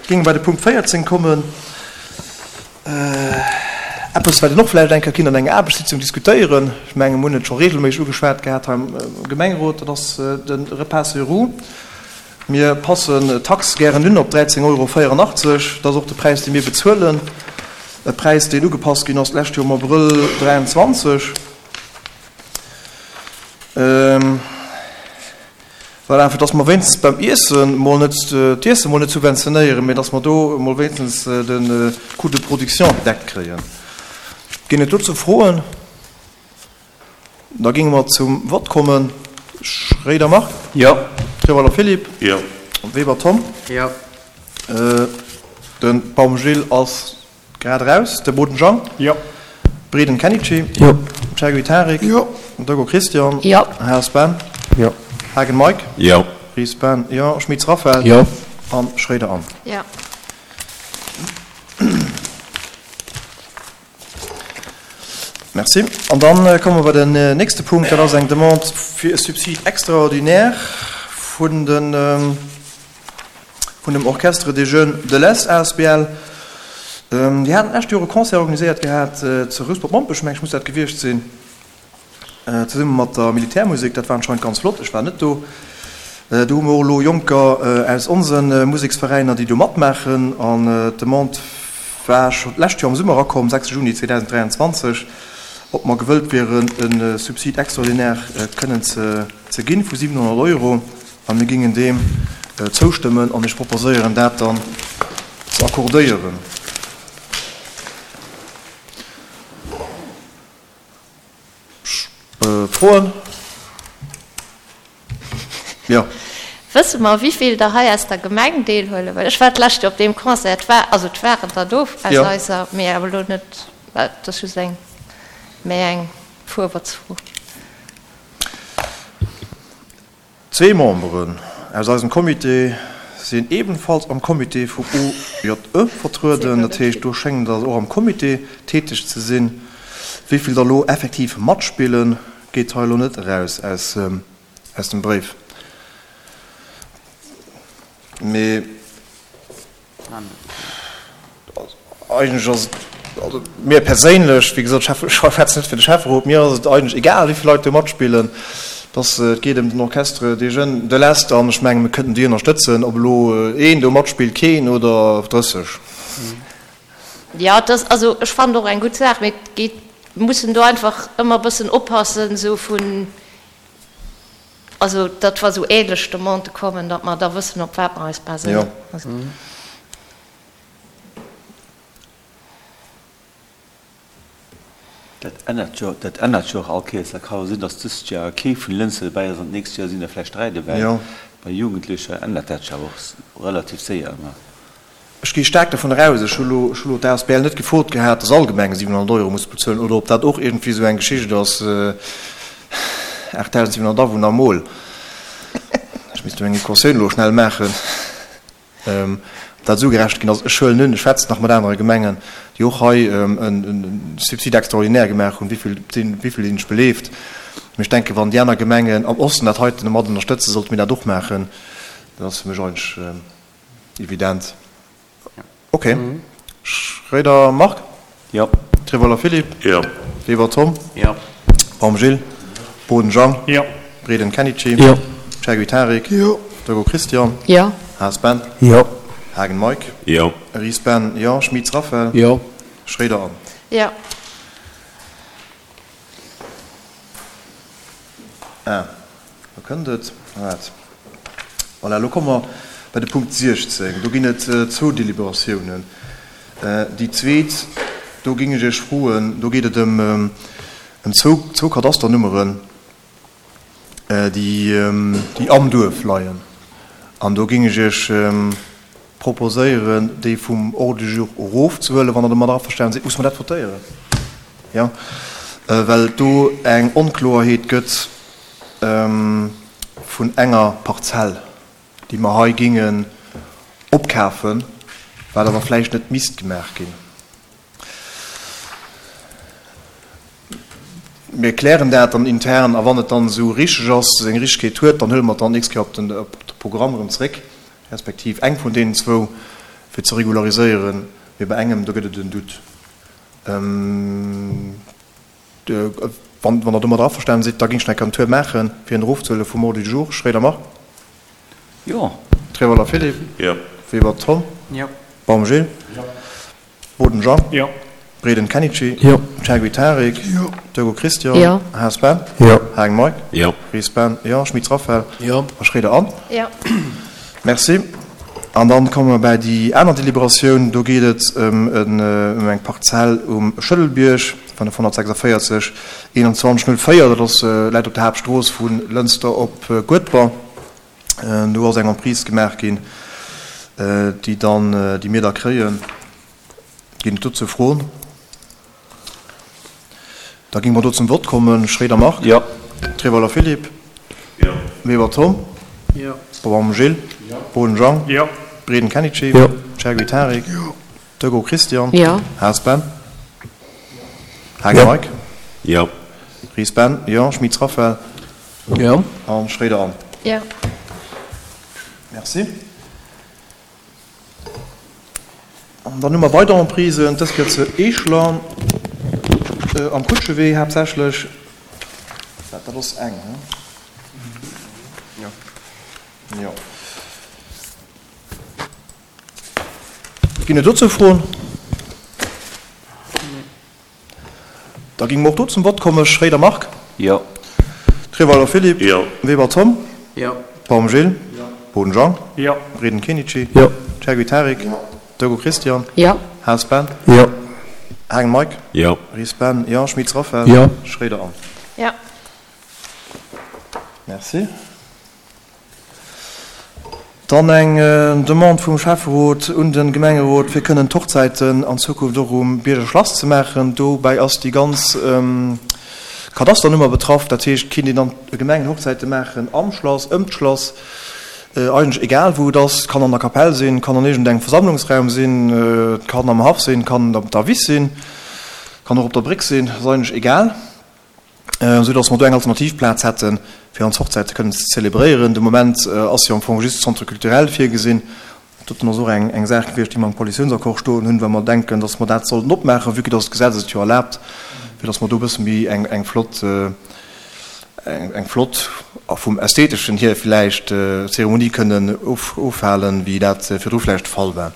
Géinge bei de Punkt 14 kommen. Eppes, wat een och vläicht eng Kéier kinnt an enger Aarbechtssitzung diskutéieren, ech mengen, mir hunn et scho regelméisseg ugeschwat gehat hei am Gemengerot, dat ass de Repas sur roues. Mir passen d'Tax gären un op 13,84 Euro. Dat ass och de Präis, dee mir bezuelen, e Präis, deen ugepasst ginn ass d'lescht Joer am Abrëll 23. Voilà, fir dass mer wéinstens beim Iessen mol net, d'Iesse mol net subventionéieren, mee dass mer do mol wéinstens de Coût de production gedeckt kréien. Ginn et dozou Froen? Da géinge mer zum Vott kommen. Schréider Marc? Jo. Treweiler Philippe? Jo. Weber Tom? Jo. De Baum Gilles ass Grad eraus, De Boden Jean. Jo. Breden Kenichi. Jo. Chergui Tarik. Jo. Doggo Christian. Jo. Haas Ben. Jo. Haagen Mike. Jo. Ries Ben. Jo. Schmitz Raphaël. Jo. An Schroeder Anne. Jo. Merci. An dann komme mer bei den nächste Punkt. Dat ass eng Demande fir e Subside extraordinaire vun den, vun dem Orchestre des Jeunes de l'Est asbl. Déi haten d'lescht Joer e Concert organiséiert gehat zu Rouspert-Mompech, meng ech muss dat gewiescht sinn, zesumme mat der Militärmusek. Dat war anscheinend ganz flott, ech war net do. Do hu mer och elo Jonker aus onse Museksveräiner, déi do matmaachen. An d'Demande war scho d'lescht Joer am Summer erakomm, 6 Juni 2023, ob mer gewëllt wieren, e Subside extraordinaire kënnen ze ginn vu 700 Euro. A mir gingen deem zoustëmmen an ech proposéieren, dat dann ze accordéieren. Froen? Jo. Wësse mer, wéivill der hei aus der Gemeng deelhuelen? Well ech war d'lescht Joer op deem Concert, et war, also et waren der do aus eiser, mee awer elo net, et ass just eng, méi eng Fuerwëtzfro. Zwee Memberen aus eisem Comité sinn ebenfalls am Comité vum OJE vertrueden, dat heescht do schéngen der och am Comité täteg ze sinn. Wéi vill der elo effektiv matspillen, geet hei elo net eraus aus dem Bréif. Mee. Eigentlech ass et, also mir perséinlech, wéi gesot, ech schwätzen net fir de Schäfferot, mir ass et eigentlech egal, wéi vill Leit do matspillen. Dass et geet ëm den Orchestre des Jeunes de l'Est an ech menge mir kënnten déi ënnerstëtzen, ob elo een do matspillt, keen oder 30. Jo, et ass, also ech fannen och eng gutt Saach, mee et geet, mir mussen do einfach ëmmer e bëssen oppassen, esou vun, Also, datt wa sou ähnlech Demandë kommen, datt mer da wëssen, op wat mer eis baséieren. Dat ännert jo, dat ännert jo och all Kéiers. Dat ka jo sinn, datt dëst Joer kee vun Lënster dobäi ass an d'nächst Joer sinn der vläicht 3 dobäi. Bei Jugendlecher ännert dat sech awer och relativ séier ëmmer. Ech gi staark dovun eraus, ech hu lo, ech hu lo d'ASBL net gefrot gehat, dass all Gemeng 700 Euro muss bezuelen oder ob dat och iergendwéi esou eng Geschicht ass, 8.700 Awunner mol, ech misst do eng Equatioun elo schnell maachen, ob dat esou gerecht ginn ass. Ech huelen un, ech schwätzen nach mat anere Gemengen, déi och hei e Subside extraordinaire gemaach hunn, wéi vill sinn, wéi vill sinn ech beleeft. Mee ech denken, wann déi aner Gemengen am Osten dat heiten mat ënnerstëtzen, sollte mir dat och maachen. Dat ass fir mech eigentlech. Evident. Ok. Schroeder Marc? Jo. Trevoller Philippe? Jo. Weber Tom? Jo. Baum Gilles? Boden Jean? Jo. Breden Kenichi? Jo. Chergui Tarik? Jo. Doggo Christian? Jo. Haas Ben? Jo. Haagen Mike? Jo. Ries Ben? Jo. Schmitz Raphaël? Jo. Schroeder Anne? Jo. Ah, do kënnt et. Waart. Voilà, elo komme mer bei de Punkt 16. Do ginn et zwou Deliberatiounen. Déi zweet, do géing ech Iech froen, do geet et ëm zwou, zwou Kadasternummeren, déi, déi am Duerf leien. An do géing ech Iech proposéieren, déi vum Ordre du jour erofzehuelen, wann Der domadder averstanen sidd. Muss mer dat votéieren? Jo, well et do eng Onkloerheet gëtt vun enger Parzell, déi mer hei géingen opkafen, wat awer vläicht net misst gemaach ginn. Mir klären dat dann intern a wann et dann esou richteg ass, seng Richtegkeet huet, dann huele mer et dann d'nächst Kéier op de Programm erëm zréck, respektiv eng vun deenen zwou. fir ze regulariséieren, mee bei engem, do gëtt et en Doute. Wann Der domadder averstanen sidd, da géing ech nach eng Kéier en Tour maachen, fir en erofzehuele vum Ordre du jour. Schroeder Marc. Jo. Trevoller Philippe. Jo. Weber Tom. Jo. Baum Gilles. Jo. Boden Jean. Jo. Breden Kenichi. Jo. Chergui Tarik. Jo. Turgo Christian. Jo. Haas Ben. Jo. Hagen Mike. Jo. Ries Ben. Jo. Schmitz Raphaël. Jo. A Schroeder Anne. Jo. Merci. An dann komme mer bäi déi aner Deliberatioun. Do geet et ëm eng Parzell um Schëddelbierg, 546 21 04. Dat ass, läit op der Haaptstrooss vu Lënster op Guedber. Do ass eng Emprise gemaach ginn, déi dann, déi mir da kréien. Ginn et dozou Froen? Da géinge mer do zum Vott kommen. Schroeder Marc. Jo. Trevoller Philippe. Jo. Weber Tom. Jo. Baum Gilles. Jo. Boden Jean. Jo. Breden Kenichi. Jo. Chergui Tarik. Jo. Turgo Christian. Jo. Haas Ben. Haagen Mike. Jo. Ries Ben. Jo. Schmitz Raphaël. Jo. An Schroeder Anne. Jo. Merci. An dann hu mer weider Emprisen, dës Kéier zu Eeschler, am Kutschewee haaptsächlech. Dat ass eng, he? Jo. Jo. Ginn et dozou Froen? Da géinge mer och do zum Vott kommen. Schroeder Marc. Jo. Treweiler Philippe. Jo. Weber Tom. Jo. Baum Gilles. Jo. Boden Jean. Jo. Breden Kenichi. Jo. Chergui Tarik. Jo. Turgo Christian. Jo. Haas Ben. Jo. Hagen Mike. Jo. Ries Ben. Jo. Schmitz Raphaël. Jo. Schroeder Anne. Jo. Merci. Dann eng Demande vum Schäfferot un de Gemengerot, fir kënnen d'Hochzäiten an Zukunft och um Bierger Schlass ze maachen. Dobäi ass déi ganz Kadasternummer betraff. Dat heescht, et kinnt een dann Gemengenhochzäite maachen am Schlass, ëm d'Schlass, eigentlech egal wou et ass. Et kann an der Kapell sinn, et kann an iergendengem Versammlungsraum sinn, et kann am Haff sinn, et kann op der Wiss sinn, et kann och op der Bréck sinn, ass eigentlech egal. esou dass mer do eng alternativ Plaz hätten, fir ons Hochzäite kënnen ze zelebréieren. De Moment ass jo am Fong just de Centre culturel virgesinn. Dat ass och eng eng Saach gewiescht, déi mer am Koalitiounsaccord stoen hunn, well mer denken, dass mer dat sollten opmaachen, vue que dass d'Gesetz et jo erlaabt, fir dass mer do e bësse méi eng eng flott eng flott a vum Ästheteschen hier vläicht Zeremonie kënnen ofhalen, wéi dat virdru vläicht de Fall war.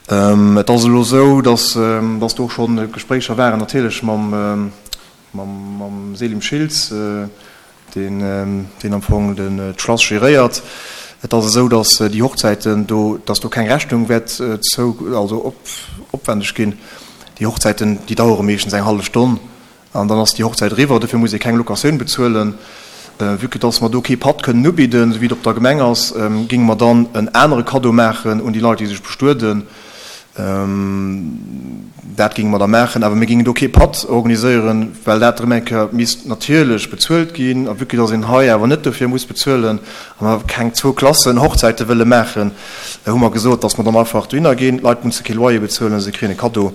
Et ass elo esou, dass dass do och scho Gespréicher waren natierlech mam mam Selim Schiltz, deen deen am Fong den d'Schlass geréiert. Et ass esou, dass déi Hochzäiten do, dass do keng Rechnung wäert zou also op opwendeg ginn. Déi Hochzäiten, déi dauere meeschtens eng hallef Stonn An dann ass déi Hochzäit eriwwer. Dofir muss ee keng Locatioun bezuelen. Vue que dass mer do kee Patt kënnen ubidden, esou wéi et op der Gemeng ass, géinge mer dann en anere Kaddo maachen un déi Leit, déi sech bestueden. Dat géinge mer da maachen. Awer mir géingen do kee Patt organiséieren, well dat erëm eng Kéier misst natierlech bezuelt ginn. A vue que dass een hei awer net dofir muss bezuelen a mer keng zwou Klassen Hochzäite wëlle maachen, hu mer gesot, dass mer dann einfach dohinner ginn. D'Leit musse kee Loyer bezuelen, se kréien e Kaddo.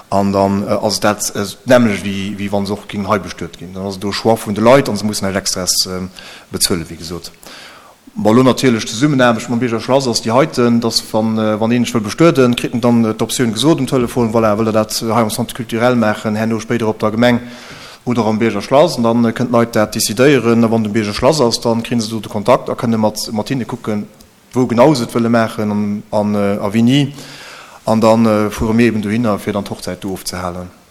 An dann ass et dat d'nämmlecht, wéi wa se och géingen hei bestuet ginn. Dann ass et do e Choix vun de Leit a se mussen näischt Extraes bezuelen, wéi gesot. Bon, elo natierlech d'Zesummenaarbecht mam Bierger Schlass ass déi heiten, dass wann een sech wëll bestueden, kritt en dann d'Optioun gesot um Telefon, voilà, wëllt Der dat hei am Centre culturel maachen, herno spéider op der Gemeng oder am Bierger Schlass. An dann kënnen d'Leit dat decidéieren. A wann et um Bierger Schlass ass, da kréie se do de Kontakt a kënne mat hinne kucken, wou genau se et wëlle maachen an a wéini, an da fuere mir eben dohinner, fir dann d'Hochzäit do ofzehalen.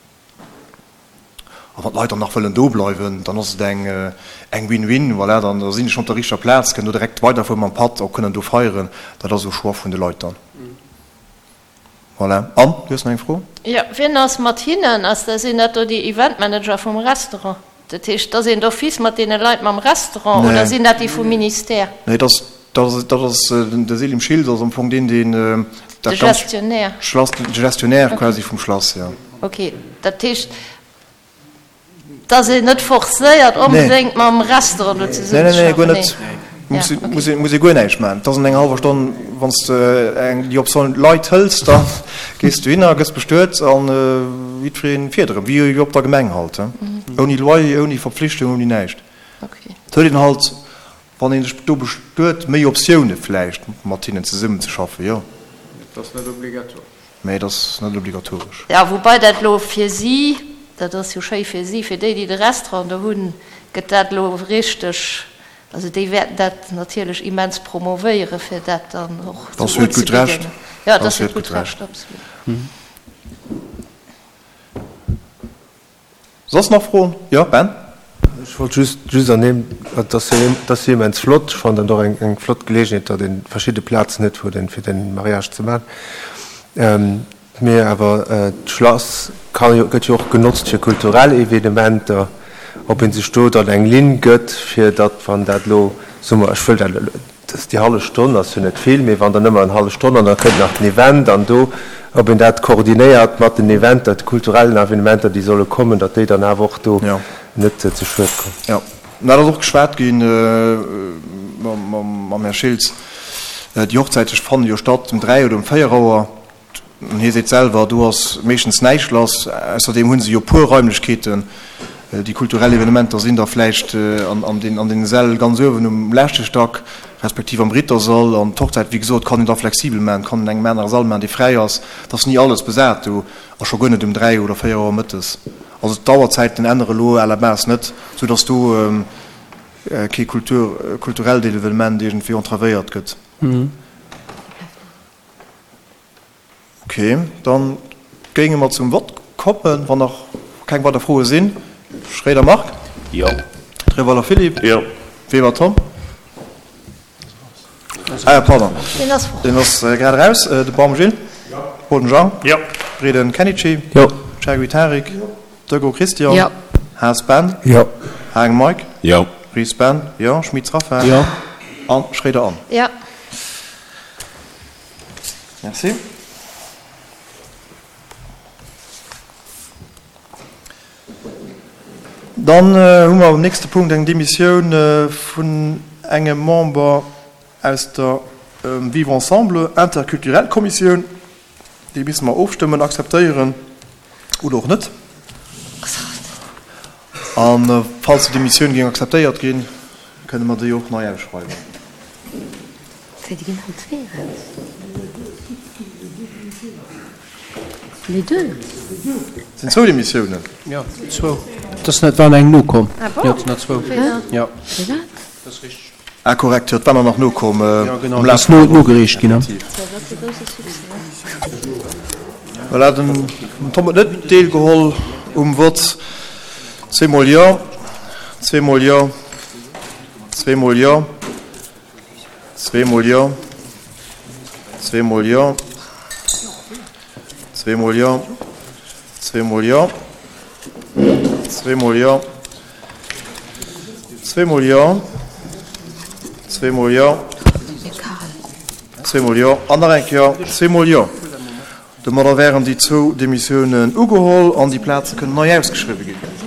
A wann d'Leit dann nach wëllen do bleiwen, dann ass et eng eng Win-win, voilà, dann da sinn se schonn op der richteger Plaz, kënnen do direkt weiderfuere mam Patt, och kënnen do feieren. Dat ass au Choix vun de Leit dann. Voilà. Anne, du hues nach eng Fro? Jo, wien ass mat hinnen? Ass dat, sinn dat do déi Eventmanager vum Restaurant? Dat heescht, ass een d'office mat deene Leit mam Restaurant oder sinn dat déi vum Ministère? Nee, dat ass, dat ass de Selim Schiltz ass am Fong deen, deen dat ganzt. De Gestionnaire. Schlass, de Gestionnaire quasi vum Schlass, jo. Ok, dat heescht, Dass een net forcéiert onbedéngt mam Restaurant do zesummen ze schaffen. Nee, nee, guer net. Muss ee, muss ee guer näischt maachen. Et ass an enger hallwer Stonn, wann s de eng, déi Optioun Leit hëls, da gees du hinner, gëss bestuet an jiddweree fiert erëm, wéi op der Gemeng halt, ouni Loyer, ouni Verpflichtung, ouni näischt. Et huet een halt, wann ee sech do bestuet, méi Optioune vläicht mat hinnen zesummenzeschaffen, jo. ass net obligatoresch. Mä et ass net obligatoresch. Jo, woubai dat elo fir si, dat ass jo schéi fir si, fir déi, déi de Restaurant do hunn, gëtt dat elo richteg, also déi wäerten dat natierlech immens promovéieren, fir dat dann och esou unzebidden. Jo, dat ass hiert gutt Recht, absolut. Soss nach Froen? Jo, Ben? Ech wollt just, just ernimmen, et ass jo, et ass jo immens flott. Ech fannen dat och eng, eng flott Geleegenheet, datt ee verschidde Plazen huet, wou een, fir de Mariage ze maachen. Mee awer d'Schlass ka jo, gëtt jo och genotzt fir kulturell Evenementer. Ob ee sech do dann eng Linn gëtt, fir datt, wann dat elo, soe mer, ech wëll dat elo, Dass déi hallef Stonn ass jo net vill, mee wann der nëmmer eng hallef Stonn an da kënnt nach den Event an do, ob een dat koordinéiert mat den Eventer, de kulturellen Evenementer, déi solle kommen, datt déi dann awer och do net ze schued kommen. Jo, dat ass och geschwat gi mam Här Schiltz. Déi Hochzäite fanne jo statt um 3 oder um 4 Auer. An hie seet selwer, do ass meeschtens näischt lass. Ausserdeem hu se jo puer Raimlechkeeten. Déi kulturell Evenementer sinn da vläicht an deene Säll ganz uewen um leschte Stack, respektiv am Rittersall. An d'Hochzäit, wéi gesot, kann een da flexibel maachen, kann een engem anere Sall maachen, dee fräi ass. Et ass ni alles besat do a scho guer net um 3 oder 4 Auer mëttes. Also d'Auerzäiten ännere lo à la base net, soudass do kee kulturellt Evenement iergendwéi entravéiert gëtt. Ok, dann géinge mer zum Vott kommen, wann nach keng weider Froe sinn. Schréider Marc? Jo. Treweiler Philippe? Jo. Weber Tom? Ah ja, pardon. Deen ass fort. Deen ass grad eraus. De Baum Gilles? Jo. Boden Jean? Jo. Breden Kenichi? Jo. Chergui Tarik? Jo. Dego Christian? Jo. Haas Ben? Jo. Haang Mike? Jo. Ries Ben? Jo. Schmitz Raphaël? Jo. An Schréider Anne? Jo. Merci. Dann hu mer am nächste Punkt eng Demissioun vun engem Member aus der Vivre ensemble interculturel Kommissioun. Déi misse mer ofstëmmen, akzeptéieren oder och net. A falls déi Demissioun géing akzeptéiert ginn, kënne mer déi och nei ausschreiwen. Wéi, déi ginn all zwee eraus? Les deux? Et sinn zwou Demissiounen. Jo, zwou. Et ass net, war eng nokomm. Ah bon? Jo, et sinn der zwou. Jo. Firwat? Dat ass richteg. Ah korrekt, jo, et war der nach nokomm. Jo, genau, et ass nogereecht ginn. Voilà, den Tom huet net deelgeholl um Vott. Zweemol jo, zweemol jo, zweemol jo. Zweemol jo. Zweemol jo. Zweemol jo. Zweemol jo. Zweemol jo. Zweemol jo. Zweemol jo. Zweemol jo. An nach eng Kéier zweemol jo. Domadder wären déi zwou Demissiounen ugeholl an déi Plaze kënnen nei ausgeschriwwe ginn.